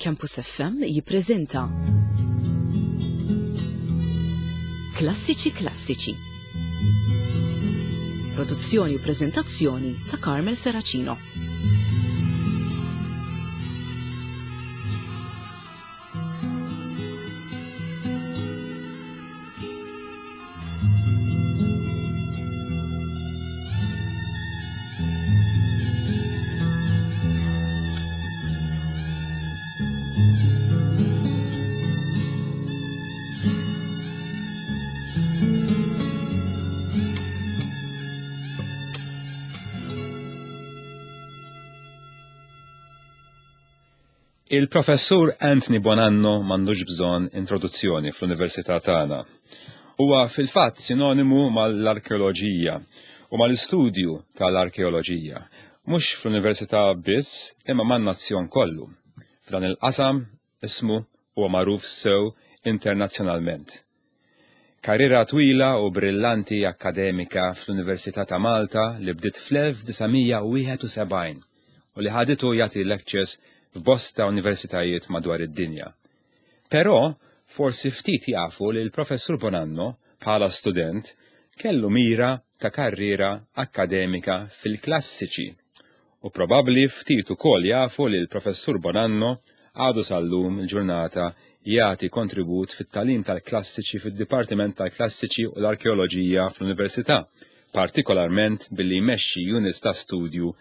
Campus FM jippreżenta Klassiċi Klassiċi. Produzzjoni u preżentazzjoni ta' Carmel Seracino. Il-Professur Anthony Bonanno m'għandux bżonn introduzzjoni fl-Università tagħna. Huwa fil-fatt sinonimu mal-arkeoloġija u mal-istudju tal-arkeoloġija, mhux fl-Università biss imma man-nazzjon kollu. F'dan il-qasam ismu huwa magħruf sew internazzjonalment. Karriera twila u brillanti akkademika fl-Università ta' Malta li bdiet fl-1971 u li ħaditu jagħti lectures f'bosta universitajiet madwar id-dinja. Però forsi ftit jafu li l-Professur Bonanno bħala student kellu mira ta' karriera akkademika fil-klassiċi u probabbli ftit ukoll jafu li l-Professur Bonanno għadu sal-lum il-ġurnata jagħti kontribut fit-tagħlim tal-klassiċi fid-Dipartiment tal-Klassiċi u l-Arkeoloġija fl-Università, partikolarment billi jmexxi units ta' studju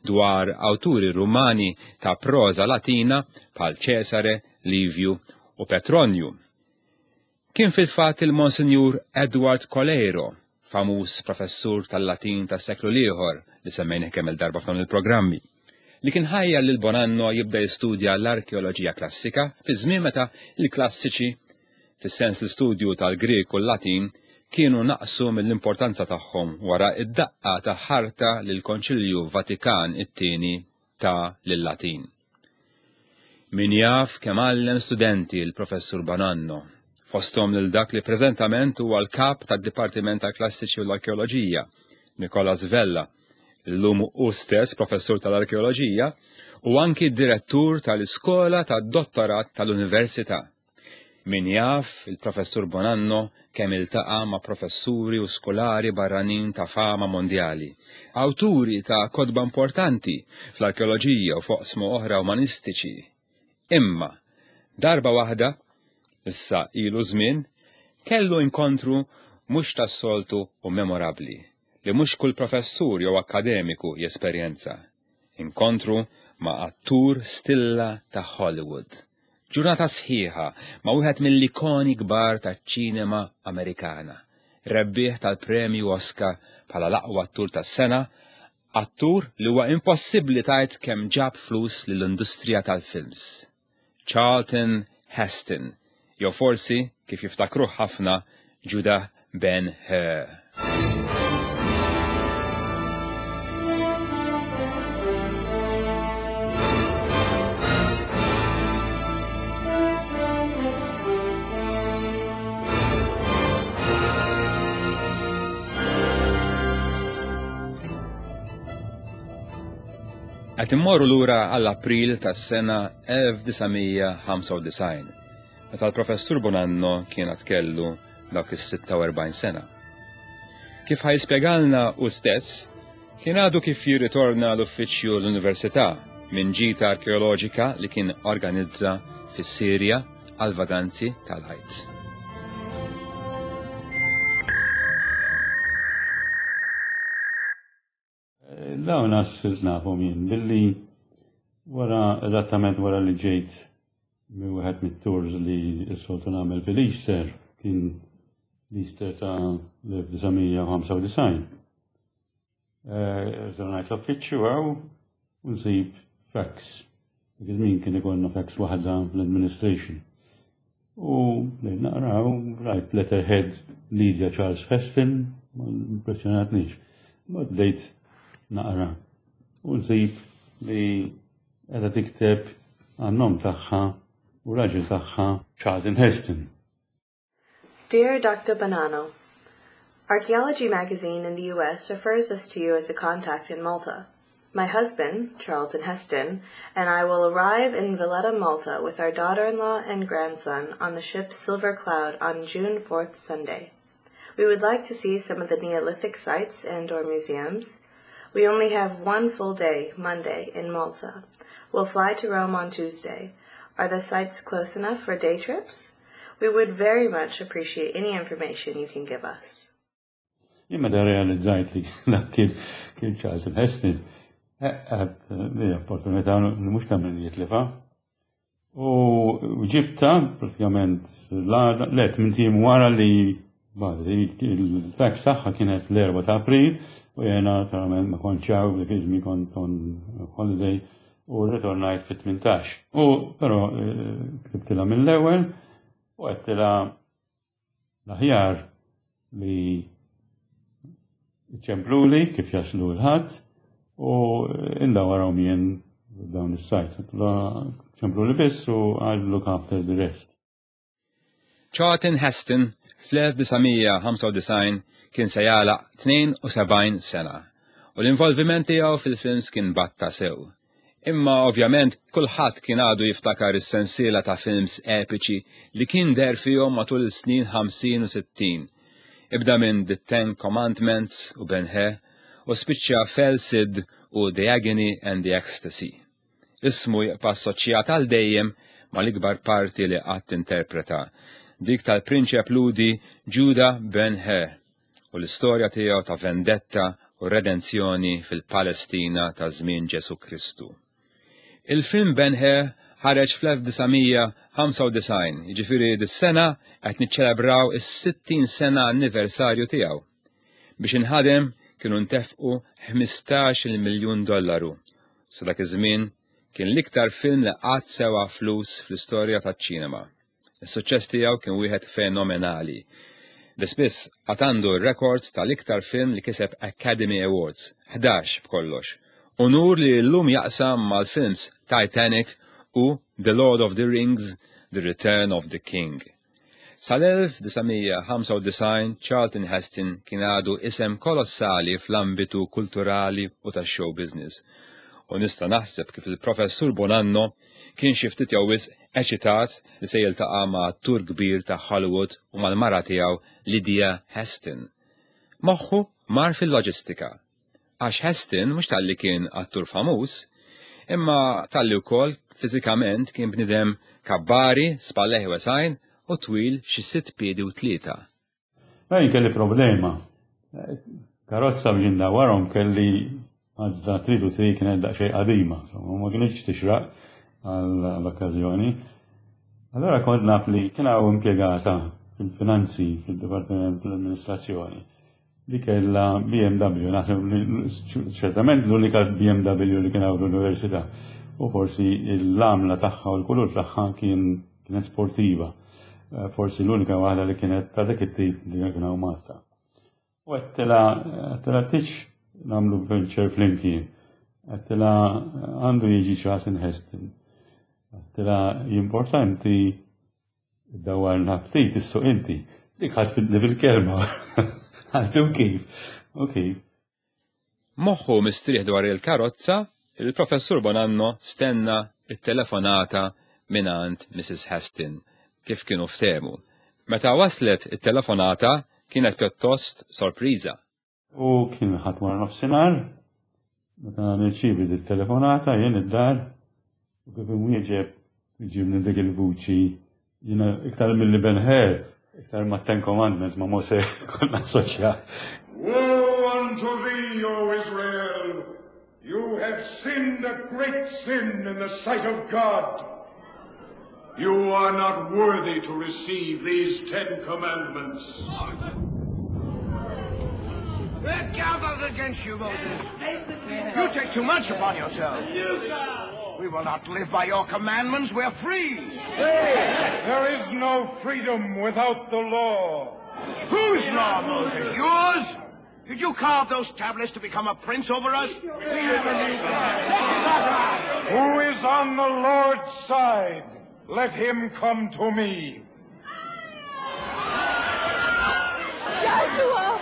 dwar awturi Rumani ta' proża Latina bħal Ċesare, Livju u Petronju. Kien fil-fatt il-Monsinjur Edward Coleiro, famuż professur tal-Latin tas-seklu l-ieħor li semmejnih kemm-il darba f'dawn il-programmi, li kien ħajjar lil Bonanno jibda jistudja l-arkeoloġija klassika fi żmien meta l-klassiċi, fis-sens l-istudju tal-Grieg u l-Latin, kienu naqsu mill-importanza tagħhom wara d-daqqa ta' ħarta li l-Konċilju Vatikan it-Tieni ta lil-Latin. Min jaf kemm għallem studenti l-Professur Bonanno, fosthom lil dak li preżentament huwa l-Kap tad-Dipartiment tal-Klassiċi u l-Arkeoloġija, Nicolas Vella, illum hu stess Professur tal-Arkeoloġija u anki Direttur tal-Iskola tad-Dottorat tal-Università. Min jaf il-Professur Bonanno kemm iltaqa' ma' professuri u skolari barranin ta' fama mondjali, awturi ta' kotba importanti fl-arkeoloġija u f'oqsma oħra umanistiċi. Imma, darba waħda, issa ilu żmien, kellu inkontru mhux tas-soltu u memorabbli, li mhux kull professur jew akkademiku jesperjenza. Inkontru ma' attur stilla ta' Hollywood. Ġurnata sħiħa ma' wieħed mill-ikoni kbar taċ-ċinema Amerikana, rebbieħ tal-Premju Oscar bħala l-aqwa attur tas-sena, attur li huwa impossibbli tgħid kemm ġab flus lill-industrija tal-films. Charlton Heston, jew forsi, kif jiftakruh ħafna, Judah Ben Hur. Qed immorru lura għall April tas-sena 1995, meta l-Professur Bonanno kien għad kellu dawk is-46 sena. Kif ħa jispjegalna hu stess, kien għadu kif jirritorna l-uffiċċju l-Università minn ġita arkeoloġika li kien organizza fis-Sirja għal vaganzi tal-Għid. Dawn sirt nafhom jien billi wara eżattament wara li ġejt minn wieħed mit-tours li s-soltu nagħmel fil-Easter kien l-Easter ta' l-1995. Rritornajt l-uffiċċju hawn u nsib fax. Dak iż-żmien kien ikollna fax waħda fl-administration. U bdejt naqra u rajt letterhead Lydia Charles Heston, ma impressjonatnix. Mbagħad bdejt naqra u nsib li qiegħda tikteb għan-nom tagħha u raġel tagħha Charlton Heston. Dear Dr. Bonanno, Archaeology magazine in the US refers us to you as a contact in Malta. My husband, Charlton Heston, and I will arrive in Valletta, Malta with our daughter-in-law and grandson on the ship Silver Cloud on June 4th, Sunday. We would like to see some of the Neolithic sites and or museums. We only have one full day, Monday, in Malta. We'll fly to Rome on Tuesday. Are the sites close enough for day trips? We would very much appreciate any information you can give us. Jien meta realizzajt li dak kien kien Charlton Heston, għad li opportunità li mhux ta' min jitlifa. U ġibta pratikament l-għada, le tmint ijiem wara li il-fax tagħha kienet l-4 ta' April u jena naturalment ma kontx hawn dik iż-żmien kont on holiday u rritornajt fit-18. U però ktibtilha mill-ewwel u għedtilha L-aħjar li iċempluli kif jaslu l-Ħadd u indawarhom jien dawn is-sites. Ċempluli biss u I'll look after the rest. Charlton Heston fl-1995 kien se jagħlaq 72 sena u l-involviment tiegħu fil-films kien batta sew. Imma ovvjament kulħadd kien għadu jiftakar is-sensiela ta' films epiċi li kien deher fihom matul is-snin 50 u 60. Ibda minn The Ten Commandments u Ben Hur u spiċċa f'El Cid u The Agony and the Ecstasy. Ismu jibqa' assoċjat għal dejjem mal-ikbar parti li qatt interpreta, dik tal-prinċep Lhudi Judah Ben Hur u l-istorja tiegħu ta' vendetta u redenzjoni fil-Palestina ta' żmien Ġesù Kristu. Il-film Ben Hur ħareġ fl-1995, jiġifieri dis-sena qed niċċelebraw is-60 sena anniversarju tiegħu. Biex inħadem kienu ntefqu 15-il miljun dollaru. Sa dak iż-żmien kien l-iktar film li qatt sewa flus fl-istorja taċ-ċinema. Is-suċċess tiegħu kien wieħed fenomenali. Li spiss għad għandu r-rekord tal-iktar film li kiseb Academy Awards, 11 b'kollox. Unur li llum jaqsam mal-films Titanic u The Lord of the Rings, The Return of the King. Sal-1995 Charlton Heston kien għadu isem kolossali fl-ambitu kulturali u tax-show business. U nista' naħseb kif il-Professur Bonanno kien xi ftit jew wisq eċitat li se jiltaqa' ma' attur kbir ta' Hollywood u mal-mara tiegħu Lydia Heston. Moħħu mar fil-loġistika. Għax Heston mhux talli kien attur famuż, imma talli wkoll fiżikament kien bniedem kabbari, spallejh wesgħin u twil xi sitt piedi u tlieta. Ma jien kelli problema. Karozza biex indawwarhom kelli Mazda 323 kienet daqsxejn qadima, ma kienx tixraq għall-okkażjoni. Allora kont naf li kien hawn impjegata fil-finanzi fil-Dipartiment tal-Amministrazzjoni li kellha BMW, naħseb li ċertament l-unika BMW li kien hawn l-università. U forsi l-għamla tagħha u l-kulur tagħha kien kienet sportiva. Eh, forsi l-unika waħda li kienet ta' dak it-tip li kien hawn Malta. U għedtilha għedtilha tix nagħmlu venture flimkien. Għedtilha għandu jiġi Charlton Heston. Għedtilha importanti dawwarna ftit issuq inti. Dik ħadd fil-kelma. Għallu kif. U kif. Moħħu mistrieħ dwar il-karozza, il-Professur Bonanno stenna t-telefonata mingħand Mrs. Heston, kif kienu ftehmu. Meta waslet it-telefonata kienet pjuttost sorpriża. U kien il-Ħadd wara nofsinhar, meta nirċievi dik telefonata jien id-dar u kif imwieġeb iġibni dik il-vuċi jiena iktar milli Ben Hur, iktar ma' Ten Commandments ma' Mosè konna assoċjat. Woe unto thee, O Israel! You have sinned a great sin in the sight of God. You are not worthy to receive these Ten Commandments. We're gathered against you, Moses. You take too much upon yourself. We will not live by your commandments. We're free. There is no freedom without the law. Whose law, Moses? Yours? Did you carve those tablets to become a prince over us? Who is on the Lord's side? Let him come to me. Joshua!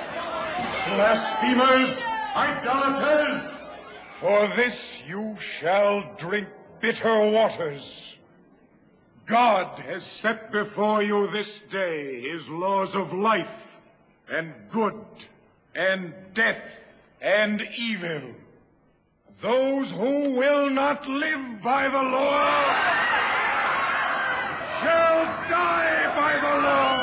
Blasphemers! Idolaters! For this you shall drink bitter waters. God has set before you this day his laws of life and good and death and evil. Those who will not live by the law shall die by the law.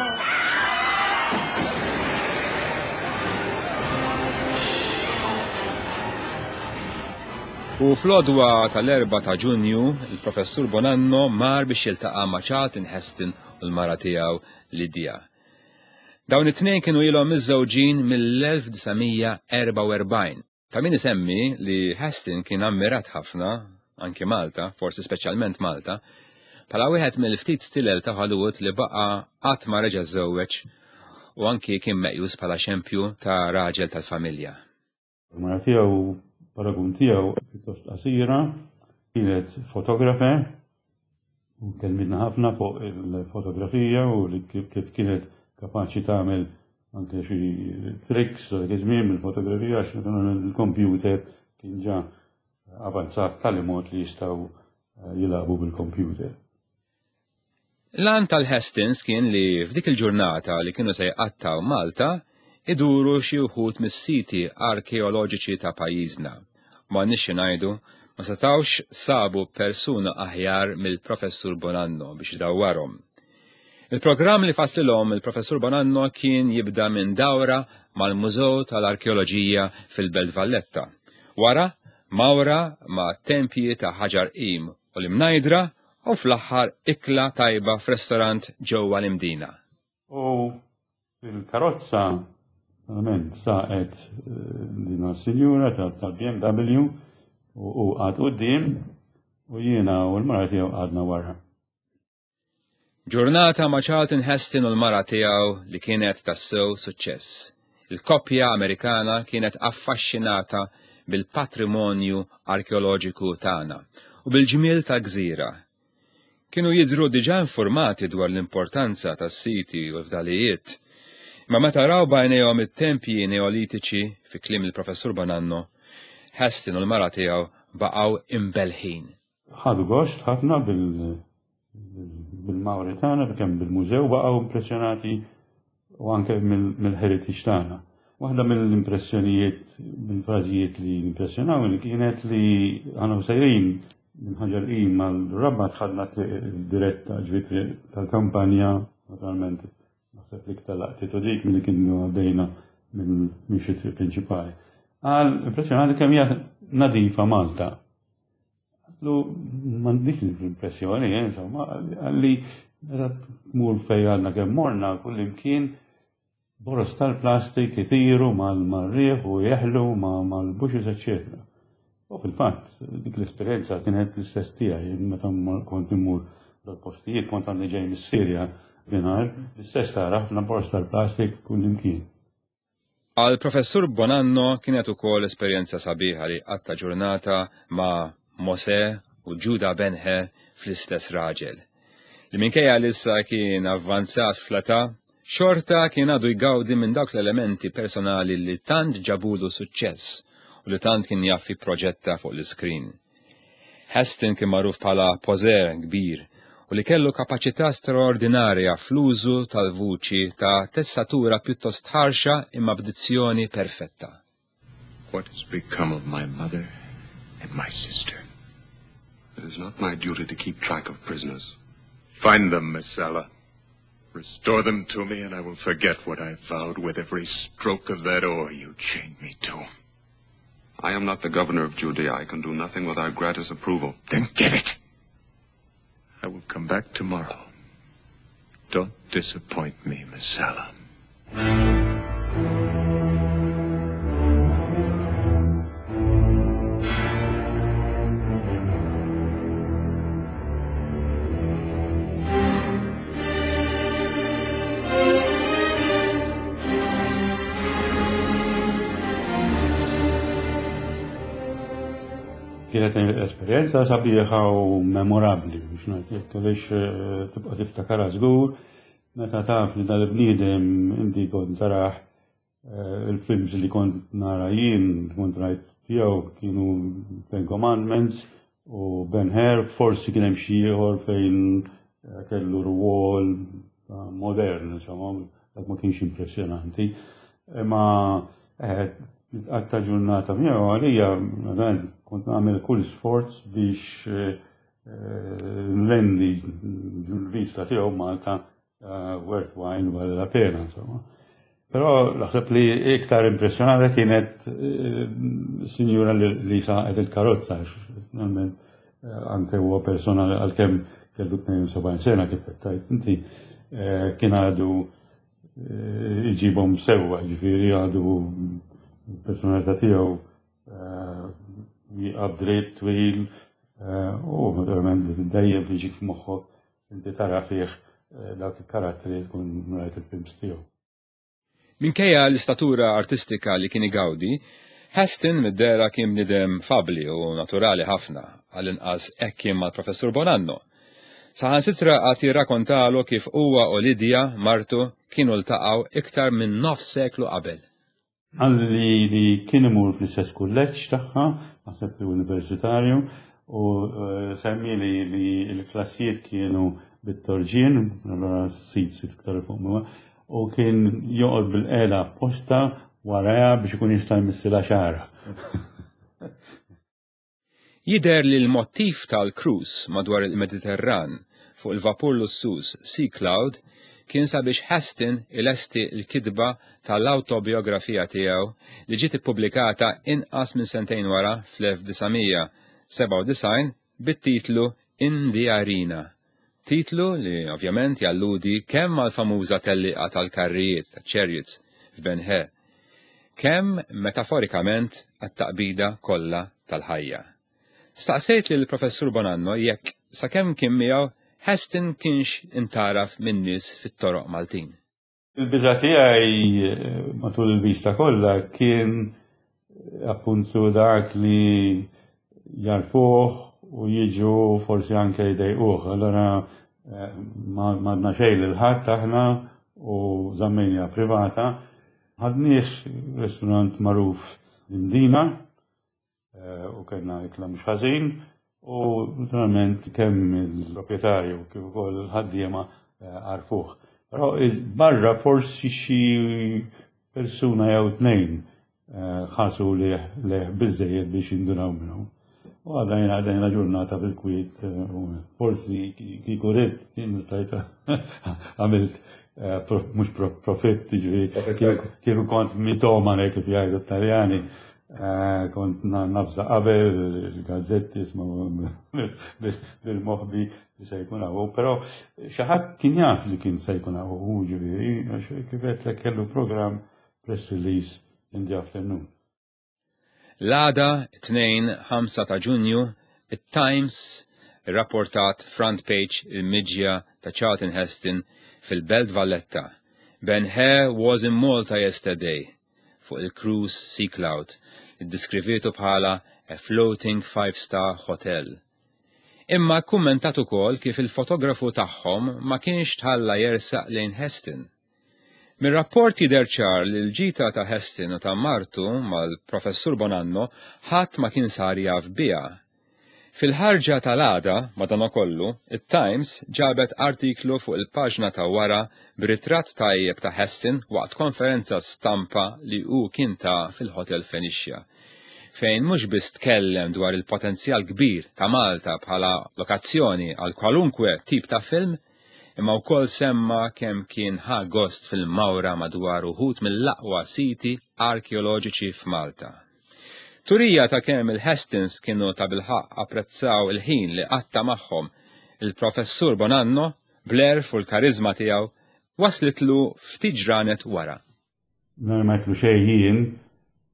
U fl-għodwa tal-4 ta' Ġunju, il-Professur Bonanno mar biex jiltaqa' ma' Charlton Heston u l-mara tiegħu Lydia. Dawn it-tnejn kienu ilhom miżżewġin mill-1944. Ta' min isemmi li Heston kien ammirat ħafna, anki Malta, forsi speċjalment Malta, bħala wieħed mill-ftit stilel ta' Hollywood li baqa' qatt ma reġa' żżewweġ u anki kien meqjus bħala xempju ta' raġel tal-familja. Il-mara tiegħu, paragun tiegħu pjuttost qasira, kienet fotografer u kelmitna ħafna fuq il-fotografija u li kif kienet kapaċi tagħmel anke xi tricks dak iż-żmien mill-fotografija għax il-computer kien ġa avanzat tali mod li jistgħu eh, jilagħbu bil-computer. L-għan tal-Hastings kien li f'dik il-ġurnata li kienu se jqattgħu Malta, iduru xi wħud mis-siti arkeoloġiċi ta' pajjiżna. M'għandniex xi ngħidu, ma setgħux sabu persuna aħjar mill-Professur Bonanno biex idawwarhom. Il-programm li fassilhom il-Professur Bonanno kien jibda minn dawra mal-Mużew tal-Arkeoloġija fil-Belt Valletta. Wara, mawra ma' tempji ta' Ħaġar Qim u l-Imnajdra u fl-aħħar ikla tajba f'restorant ġewwa l-Imdina. U fil-karozza verament saqet eh, din sinjura tal-BMW u qgħad quddiem u jiena u l-mara tiegħu qgħadna wara. Ġurnata ma' Charlton Heston u l-mara tiegħu li kienet tassew suċċess. Il-koppja Amerikana kienet affaxxinata bil-patrimonju arkeoloġiku tagħna u bil-ġmiel tal-gżira. Kienu jidhru diġà infurmati dwar l-importanza tas-siti u l-fdalijiet. Imma meta raw b'għajnejhom it-tempji Neolitiċi, fi kliem il-Professur Bonanno, Heston u l-mara tiegħu baqgħu imbellħin. Ħadu gost ħafna bil-mawri tagħna, kemm bil-mużew baqgħu impressjonati u anke mill-heritage tagħna. Waħda mill-impressjonijiet, mill-frażijiet li impressjonawni kienet li għana sejrin minn ħaġar qim mal-Rabat ħadna diretta ġifieri tal-kampanja, naturalment naħseb li iktar laqtitu dik milli kienu għaddejna minn xi triq prinċipali. Għal impressjonati kemm hija nadifa Malta. Għatlu, m'għandix l-impressjoni, eh, insomma, għalli meta tmur fej għandna kemm morna kullimkien boros tal-plastik itiru mal-riħ u jeħlu mal-bushes, eccetera. U fil-fatt, dik l-esperjenza kienet l-istess tiegħi meta kont immur dal-postijiet, kont għandi ġej mis-Sirja dinhar, l-istess tara ħafna boros tal-plastik kullimkien. Għall-Professur Bonanno kienet ukoll esperjenza sabiħa li jqatta' ġurnata ma' Mosè u Ġuda Ben-Her fl-istess raġel, li minkejja li issa kien avvanzat fl-età, xorta kien għadu jgawdi minn dawk l-elementi personali li tant ġabulu suċċess u li tant kien jaf jipproġetta fuq l-iskrin. Heston kien magħruf bħala poseur kbir u li kellu kapaċità straordinarja fl-użu tal-vuċi ta' tessatura pjuttost ħarxa imma b'dizzjoni perfetta. What has become of my mother and my sister? It is not my duty to keep track of prisoners. Find them, Messala. Restore them to me and I will forget what I vowed with every stroke of that oar you chained me to. I am not the governor of Judea. I can do nothing without Gratus approval. Then get it! I will come back tomorrow. Don't disappoint me, Messala. Kienet esperjenza sabiħa u memorabbli biex ngħid għaliex eh, tibqa' tiftakara żgur meta taf li dal-bniedem inti kont taraħ. Il-films li kont nara jien, kont rajt tiegħu kienu Ten Commandments u Ben Hur, forsi kien hemm xi ieħor fejn kellu rwol modern, insomma, dak ma kienx impressjonanti. Imma għatta ġurnata miegħu għalija kont nagħmel kull sforz biex nrendi l-vista tiegħu Malta worthwhile vale la pena, insomma. Però naħseb li iktar impressjonata kienet sinjura li saqet il-karozza, finalment anke huwa persona għalkemm kellu 72 sena kif qed tgħid inti, kien għadu iġibhom sewwa, ġifieri għadu personalità tiegħu jieqaf dritt twil u naturalment dejjem jiġik f'moħħok inti tara fih dawk il-karattri li tkun rajt il-films tiegħu. Minkejja l-istatura artistika li kien igawdi, Heston mid-dehra kien bniedem fabbli u naturali ħafna, għall-inqas hekk kien mal-Professur Bonanno. Saħansitra għad jirrakontalu kif huwa u Lydia, martu, kienu ltaqgħu iktar minn nofs seklu qabel. Qal li kien imur fl-istess kulleġġ tagħha, naħseb li universitarju, u semmieli li l-klassijiet kienu bit-torġien, allura seats iktar fuq minn u kien joqgħod bil-qegħda apposta warajha biex ikun jista' jmissilha xagħarha. Jidher li l-mottiv tal-cruise madwar il-Mediterran fuq il-vapur lussuż Sea Cloud kien sabiex Heston ilesti l-kitba tal-awtobiografija tiegħu li ġiet ippubblikata inqas minn sentejn wara fl-1997 bit-titlu In the Arena. Titlu li ovvjament jalludi kemm għall-famuża tellieqa tal-karrijiet, ta' chariots, f'Ben Hur, kemm metaforikament għat-taqbida kollha tal-ħajja. Staqsejt lil Professur Bonanno jekk sakemm kien miegħu Heston kienx intgħaraf min-nies fit-toroq Maltin. Il-biża' tiegħi matul il-vista kollha kien appuntu dak li jarfuh u jiġu forsi anke jdejquh. Allora ma għadna xejn lil ħadd aħna u żammejniha privata. Ħadnieh restaurant magħruf l-Imdina u kellna ikla mhux ħażin u naturalment kemm il-proprjetarju kif ukoll il-ħaddiema għarfuh. Però barra forsi xi persuna jew tnejn ħarsu lejh biżejjed biex jindunaw minnu. U għadajna għadajna ġurnata bil-kwiet, forsi kieku ridt, jien stajt għamilt mhux profitt, ġifieri kieku kont mitomane kif jgħidu t-Taljani, kont nafza qabel il-gazzetti bil-moħbi li se jkun hawn, però xi ħadd kien jaf li kien se jkun hawn, ġifieri, għax kif għedtlek kellu programm press release in the afternoon. L-għada, 2 5 ta' Ġunju, it-Times irrapportat front page il-miġja ta' Charlton Heston fil-Belt Valletta. Ben Hur was in Malta yesterday fuq il-cruise Sea Cloud, iddiskrivietu bħala a floating five-star hotel. Imma kummentat ukoll kif il-fotografu tagħhom ma kienx tħalla jersaq lejn Heston. Mir-rapport jidher ċar li l-ġita ta' Heston u ta' martu mal-Professur Bonanno ħadd ma kien sar jaf biha. Fil-ħarġa tal-għada, madanakollu, it-Times ġabet artiklu fuq il-paġna ta' wara b'ritratt tajjeb ta' Heston waqt konferenza stampa li hu kien ta fil-Hotel Phoenicia, fejn mhux biss tkellem dwar il-potenzjal kbir ta' Malta bħala lokazzjoni għal kwalunkwe tip ta' film, imma wkoll semma kemm kien ħa gost fil-mawra madwar uħud mill-aqwa siti arkeoloġiċi f'Malta. Turija ta' kemm il-Hestons kienu ta' bilħaqq apprezzaw il-ħin li qatta magħhom il-Professur Bonanno bl-għerf u l-karizma tiegħu waslitlu ftit ġranet wara. Nhar ma għedtlu xejn jien,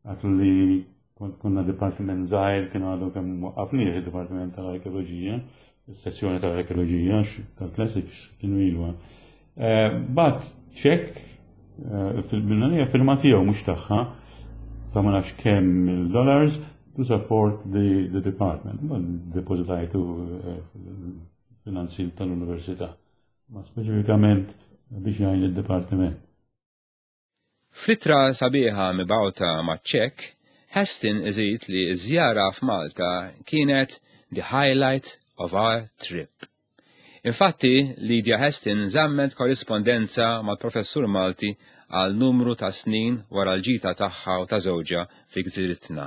għedtlu li kont konna dipartiment żgħir kien għadu kemm waqqafnieh id-Dipartiment tal-Arkeoloġija, is-sezzjoni tal-Arkeoloġija tal-Classics kienu ilu. Bat ċekk fil-binanija firma tiegħu mhux tagħha ta' ma nafx kemm il-dollars to support the, the department. Depozitajtu finanzi tal-università. Ma speċifikament biex jgħin il-dipartiment. Fl-ittra sabiħa mibgħuta maċ-ċekk, Heston iżid li ż-żjara f'Malta kienet the highlight of our trip. Infatti, Lydia Heston żammet korrispondenza mal-professur Malti għal numru ta' snin wara l-ġita tagħha u ta' żewġha fi gżiritna.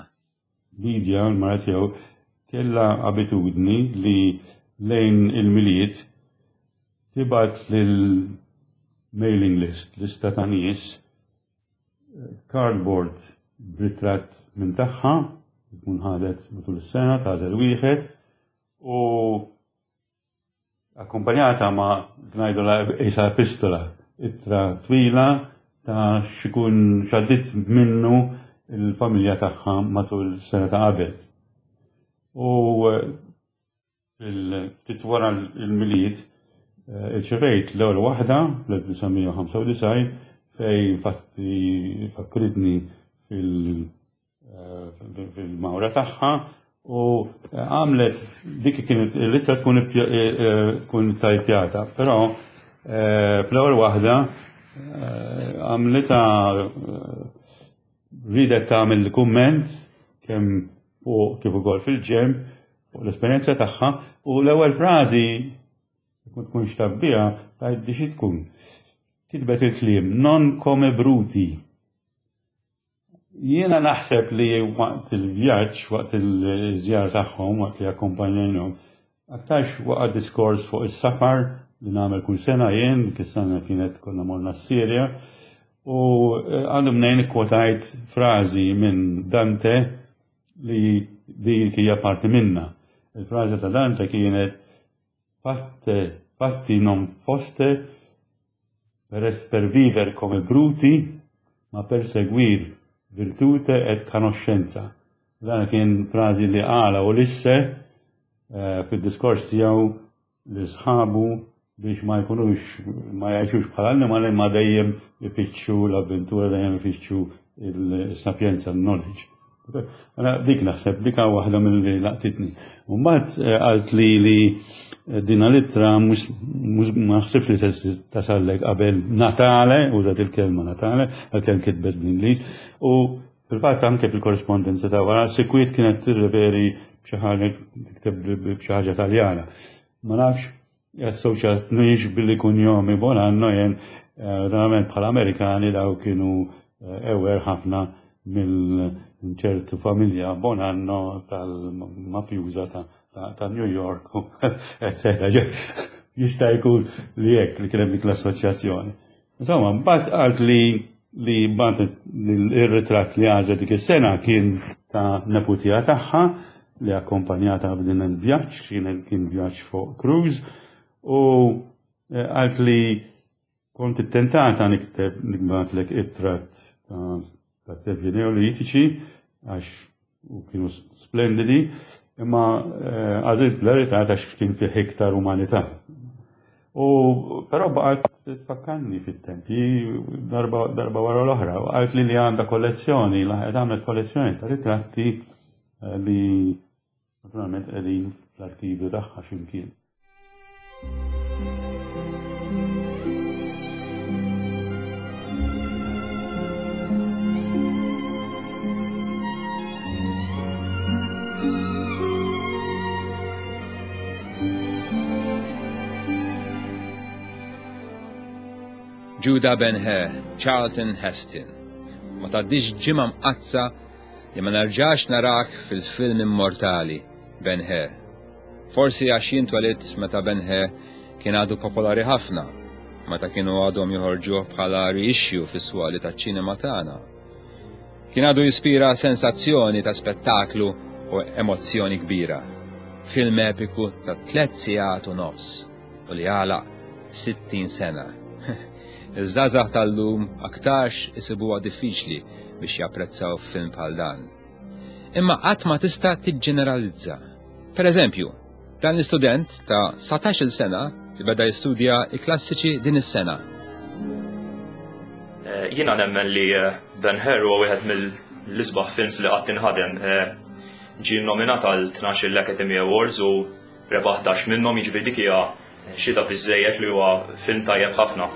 Lydia, l-mara tiegħu, kellha abitudni li lejn il-Milied tibgħat lil mailing list, lista ta' nies, cardboard b'ritratt minn tagħha, tkun ħadet matul is-sena, tagħżel wieħed, u akkumpanjata ma' ngħidulha qisha epistola, ittra twila ta' x'ikun x'għaddiet minnu l-familja tagħha matul sena ta' qabel. U ftit wara l-Milied irċevejt l-ewwel waħda fl-1995 fejn infatti fakkritni fil- fil-mawra tagħha u għamlet dik kienet l-ittra tkun tkun tajpjata, però fl-ewwel waħda għamlitha ridet tagħmel kumment kemm fuq kif ukoll fil-ġenb fuq l-esperjenza tagħha u l-ewwel frażi tkun tkunx taf biha tgħid xi tkun. Kitbet il-kliem non come bruti. Jiena naħseb li waqt il-vjaġġ, waqt il-żjara tagħhom, waqt li akkompanjajnhom, aktarx waqa' diskors fuq is-safar li nagħmel kull sena jien, dik is-sena kienet konna morna s-Sirja, u eh, għandu mnejn ikkwotajt frażi minn Dante li dik hija parti minna. Il-frażi ta' Dante kienet Fatte, fatti non foste per es per viver come bruti, ma per seguir virtute et conoscenza. Dan kien frażi li qala Ulisse eh, fid-diskors tiegħu li sħabu biex ma jkunux ma jgħixux bħala annimali ma dejjem ifittxu l-avventura, dejjem ifittxu il-sapjenza, l-knowledge. Mela dik naħseb dik waħda mill-li laqtitni. U mbagħad eh, qalt li li eh, dina l-ittra mhux ma naħsibx li tasallek qabel Natale, użat il-kelma Natale, għalkemm kitbet bl-Ingliż, u fil-fatt anke fil-korrispondenza ta' wara sikwit kienet tirreferi b'xi ħaġa tikteb b'xi ħaġa Taljana. Ma nafx Assoċjatniex billi kunjomi Bonanno jien eh, verament bħala Amerikani daw kienu eh, ewer ħafna mill ċertu familja Bonanno tal-mafjuża ta' New York, eccetera. Jista' jkun li hekk li kien hemm dik l-assoċjazzjoni. Insomma, mbagħad qalt li li mbagħad ir-ritratt li għażlet dik is-sena kien ta' neputija tagħha li akkompanjata b'din il-vjaġġ, kien kien vjaġġ fuq cruise u eh, qalt li kont ittentata nikteb nikbatlek it-tratt ta' ta' tempji neolitiċi għax u kienu splendidi, imma eh, għażilt l-verità għax kien fih iktar umanità. U però baqgħet tfakkarni fit-tempji darba, darba wara l-oħra, u qalt li li għandha kollezzjoni, laħqet għamlet kollezzjoni ta' ritratti eh, li Naturalment qegħdin fl-arkivju tagħha x'imkien. Judah Ben-Hur, Charlton Heston. Ma tgħaddix ġimgħa mqaddsa Li ma nerġax narak fil-film immortali, Ben Hur. Forsi għax jien twelidt meta Ben Hur kien għadu popolari ħafna, meta kienu għadhom joħorġuh bħala reissue fis-swali taċ-ċinema tagħna. Kien għadu jispira sensazzjoni ta' spettaklu u emozzjoni kbira. Film epiku ta' tlet sigħat u nofs u li għalaq 60 sena. Iż-żgħażagħ tal-lum aktarx isibuha diffiċli biex japprezzaw film bħal dan. Imma qatt ma tista' tiġġeneralizza. Per eżempju, dan l-istudent ta' 19-il sena li beda jistudja l-klassiċi din is-sena. Eh, jiena nemmen li eh, Ben Hur huwa wieħed mill-isbaħ films li qatt inħadem. Eh, ġie nominat għal 12 Academy Awards u rebaħ 11 minnhom, jiġifieri dik hija Xhieda biżżejjed li huwa film tajjeb ħafna.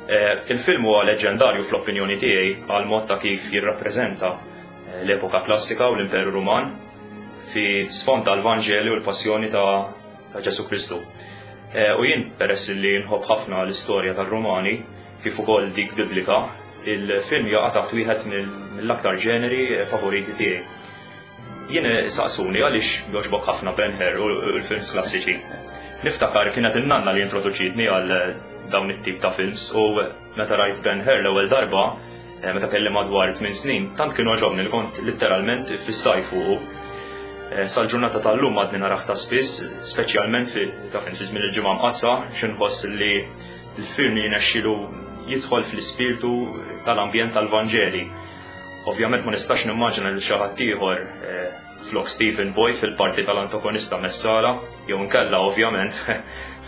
Il-film huwa leġġendarju fl-opinjoni tiegħi għal mod ta' kif jirrappreżenta l-epoka klassika u l-Imperu Ruman fi sfond tal-Vanġeli u l-passjoni ta' Ġesù Kristu. U jien peress li nħobb ħafna l-istorja tar-Rumani kif ukoll dik Biblika, il-film jaqa' taħt wieħed mill-aktar ġeneri favoriti tiegħi. Jien saqsuni għaliex jogħġbok ħafna Ben Hur u l-films klassiċi. Niftakar kienet in-nanna li introduċietni għal dawn it-tip ta' films u meta rajt Ben Hur l-ewwel darba, eh, meta kelli madwar 8 snin, tant kien għoġobni li kont litteralment iffissaj fuqu. Eh, sal-ġurnata tal-lum għadni narah ta' spiss, speċjalment fi ta' fi żmien il-ġimgħa mqaddsa, x'inħoss li l-film jirnexxilu jidħol fl-ispirtu tal-ambjent tal-Vanġeli. Ovvjament ma nistax nimmaġina lil xi ħadd ieħor eh, flok Stephen Boyd fil-parti tal-antagonista Messala, jew inkella ovvjament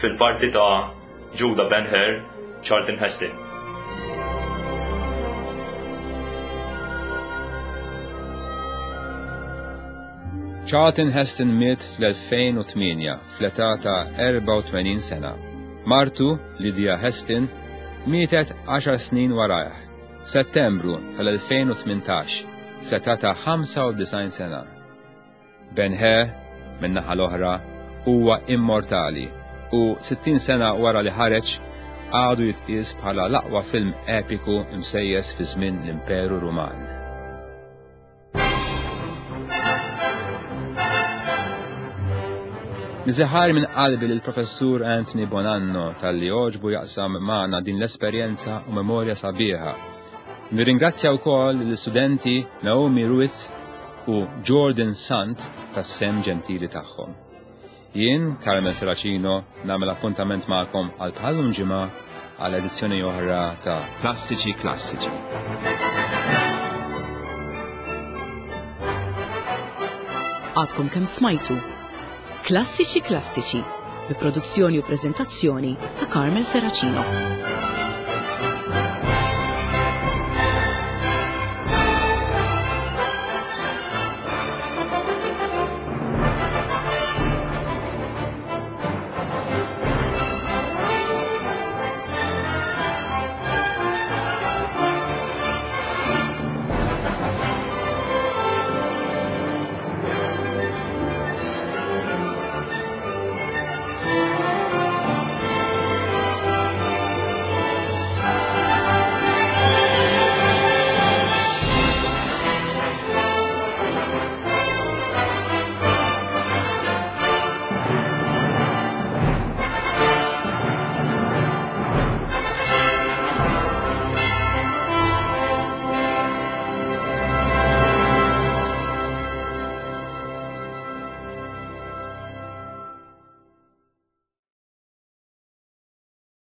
fil-parti ta' Judah Ben-Hur, Charlton Heston. Charlton Heston miet fl-2008 fl-età ta' 84 sena. Martu, Lydia Heston, mietet 10 snin warajh. F'Settembru tal-2018, fl-età ta' 95 sena. Ben Hur, min-naħa l-oħra, huwa immortali u 60 sena wara li ħareġ, għadu jitqies bħala l-aqwa film epiku msejjes fi żmien l-Imperu Ruman. Niżiħar minn qalbi lil Professur Anthony Bonanno talli għoġbu jaqsam magħna din l-esperjenza u memorja sabiħa. Nirringrazzja wkoll l-istudenti Naomi Ruiz u Jordan Sant tas-sem ġentili tagħhom. Jien, Carmel Serracino, nagħmel appuntament magħkom għal bħallum ġimgħa għal edizzjoni oħra ta' Klassiċi Klassiċi. Għadkom kemm smajtu Klassiċi Klassiċi bi produzzjoni u preżentazzjoni ta' Carmel Serracino.